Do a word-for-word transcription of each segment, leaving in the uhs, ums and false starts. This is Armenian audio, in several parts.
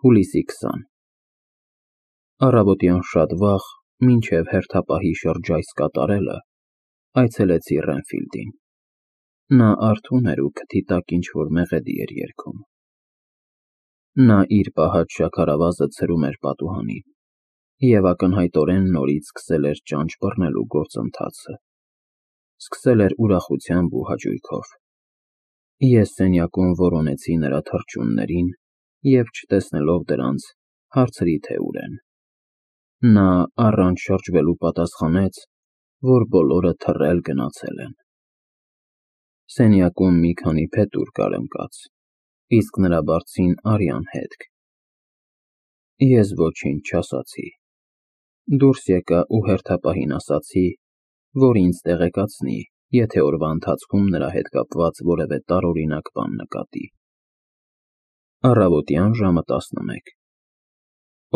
Հուլիսի քսանը Առավոտյան շատ վաղ, մինչև հերթապահի շրջայց կատարելը, այցելեցի Ռենֆիլդին։ Նա արթուն էր ու քթի տակ ինչ-որ մեղեդի էր երգում։ Նա իր պահած շաքարավազը ցրում էր պատուհանին և ակնհայտորեն նորից սկսել էր ճանճ բռնելու գործընթացը։ Սկսել էր ուրախությամբ ու հաճույքով։ Ես սենյակում որոնեցի նրա թռչուններին և, չտեսնելով դրանց, հարցրի, թե ուր են։ Նա առանց շրջվելու պատասխանեց, որ բոլորը թռել գնացել են։ Սենյակում մի քանի փետուր կար ընկած, իսկ նրա բարձին արյան հետք։ Ես ոչինչ չասացի։ Դուրս եկա ու հերթապահին ասացի, որ ինձ տեղեկացնի, եթե օրվա ընթացքում նրա հետ կապված որևէ տարօրինակ բան նկատի։ Առավոտյան ժամը տասնմեկ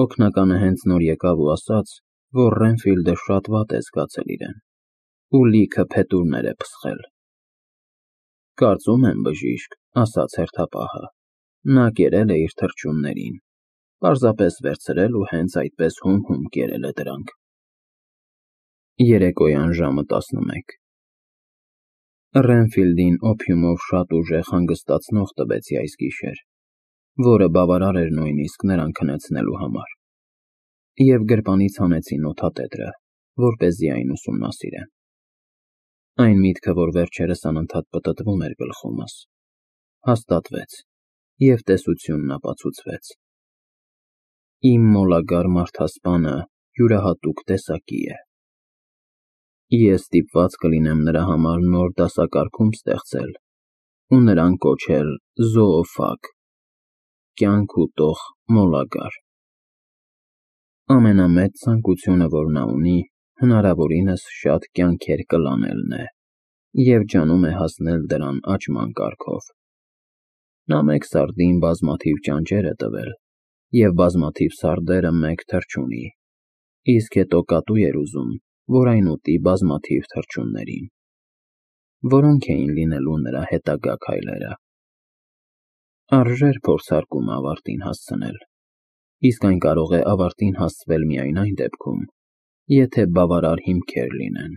Օգնականը հենց նոր եկավ ու ասաց, որ Ռենֆիլդը շատ վատ է զգացել իրեն ու լիքը փետուրներ է փսխել։ Կարծում եմ, բժիշկ, ասաց հերթապահը, նա կերել է իր թռչուններին, պարզապես վերցրել ու հենց այդպես հում-հում կերել է դրանք։ Երեկոյան ժամը տասնմեկ Ռենֆիլդին օփյումով շատ ուժեղ հանգստացնող տվեցի այս գիշեր, որը բավարար էր նույնիսկ նրան քնեցնելու համար, և գրպանից հանեցի նոթատետրը, որպեսզի այն ուսումնասիրեմ։ Այն միտքը, որ վերջերս անընդհատ պտտվում էր գլխումս, հաստատվեց և տեսությունն ապացուցվեց։ Իմ մոլագար մարդասպանը յուրահատուկ տեսակի է։ Ես ստիպված կլինեմ նրա համար նոր դասակարգում ստեղծել ու նրան կոչել զոոֆագ (կյանք ուտող մոլագար)։ Ամենամեծ ցանկությունը, որ նա ունի, հնարավորինս շատ կյանքեր կլանելն է և ջանում է հասնել դրան աճման կարգով։ Նա մեկ սարդին բազմաթիվ ճանճեր է տվել և բազմաթիվ սարդերը մեկ թռչունի, իսկ հետո կատու էր ուզում, որ այն ուտի բազմաթիվ թռչուններին։ Որո՞նք էին լինելու նրա հետագա քայլերը։ Արժեր փորձարկումը ավարտին հասցնել, իսկ այն կարող է ավարտին հասցվել միայն այն դեպքում, եթե բավարար հիմքեր լինեն։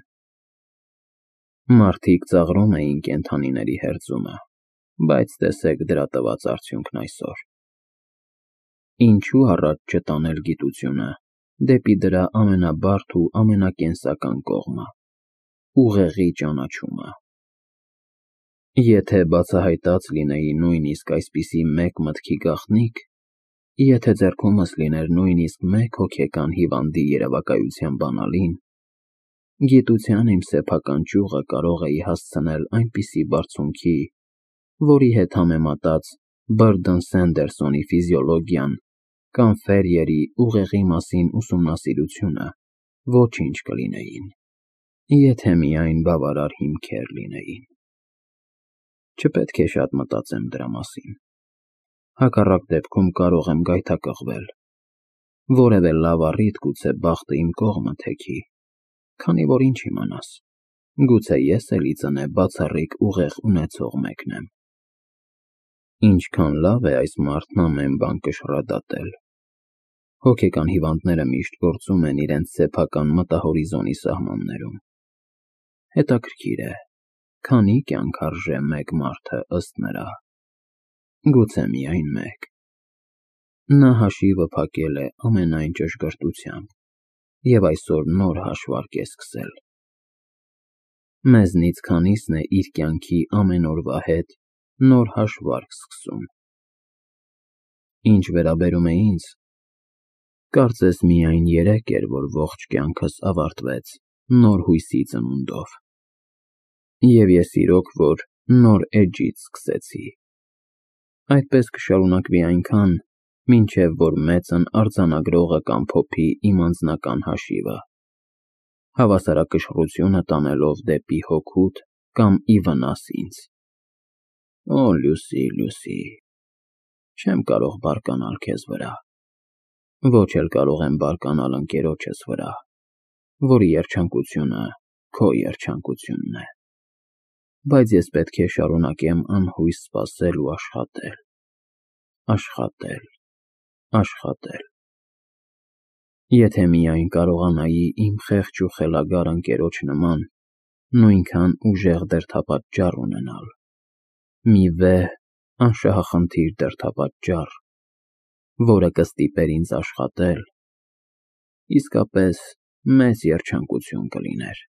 Մարդիկ ծաղրում էին կենդանիների հերձումը, բայց տեսեք դրա տված արդյունքն այսօր։ Ինչու՞ առաջ չտանել գիտությունը դեպի դրա ամենաբարդ ու ամենակենսական կողմը՝ ուղեղի ճանաչումը։ Եթե բացահայտած լինեի նույնիսկ այսպիսի մեկ մտքի գաղտնիք, եթե ձեռքումս լիներ նույնիսկ մեկ հոգեկան հիվանդի երևակայության բանալին, գիտության իմ սեփական ճյուղը կարող էի հասցնել այնպիսի բարձունքի, որի հետ համեմատած Բըրդն Սենդերսոնի ֆիզիոլոգիան կամ Ֆերիերի ուղեղի մասին ուսումնասիրությունը ոչինչ կլինեին, եթե միայն բավարար հիմքեր լինեին։ Չպետք է շատ մտածեմ դրա մասին։ Հակառակ դեպքում կարող եմ գայթակղվել, որևէ լավ առիթ գուցե բախտը իմ կողմը թեքի, քանի որ ինչ իմանաս, գուցե ես էլ ի ծնե բացառիկ ուղեղ ունեցող մեկն եմ։ Ինչքան լավ է այս մարդն ամեն բան կշռադատել։ Հոգեկան հիվանդները միշտ գործում են իրենց սեփական մտահորիզոնի սահմաններում։ Հետաքրքիր է, քանի՞ կյանք արժե մեկ մարդը ըստ նրա։ Գուցե միայն մեկ։ Նա հաշիվը փակել է ամենայն ճշգրտությամբ և այսօր նոր հաշվարկ է սկսել։ Մեզնից քանի՞սն է իր կյանքի ամեն օրվա հետ նոր հաշվարկ սկսում։ Ինչ վերաբերում է ինձ, կարծես միայն երեկ էր, որ ողջ կյանքս ավարտվեց նոր հույսի ծնունդով։ Եվ ես իրոք որ նոր էջից սկսեցի։ Այդպես կշարունակվի այնքան, մինչև որ մեծն արձանագրողը կամփոփի իմ անձնական հաշիվը, հավասարակշռությունը տանելով դեպի հոգուդ կամ ի վնաս ինձ։ Օ, Լուսի, Լուսի, չեմ կարող բարկանալ քեզ վրա, ոչ էլ կարող եմ բարկանալ ընկերոջս վրա, որի երջանկությունը քո երջանկությունն է։ Բայց ես պետք է շարունակեմ անհույս սպասել ու աշխատել, աշխատել, Աշխատել։ Եթե միայն կարողանայի իմ խեղճ ու խելագար ընկերոջ նման նույնքան ուժեղ դրդապատճառ ունենալ, մի վեհ, անշահախնդիր դրդապատճառ, որը կստիպեր ինձ աշխատել, իսկապես մեծ երջանկություն կլիներ։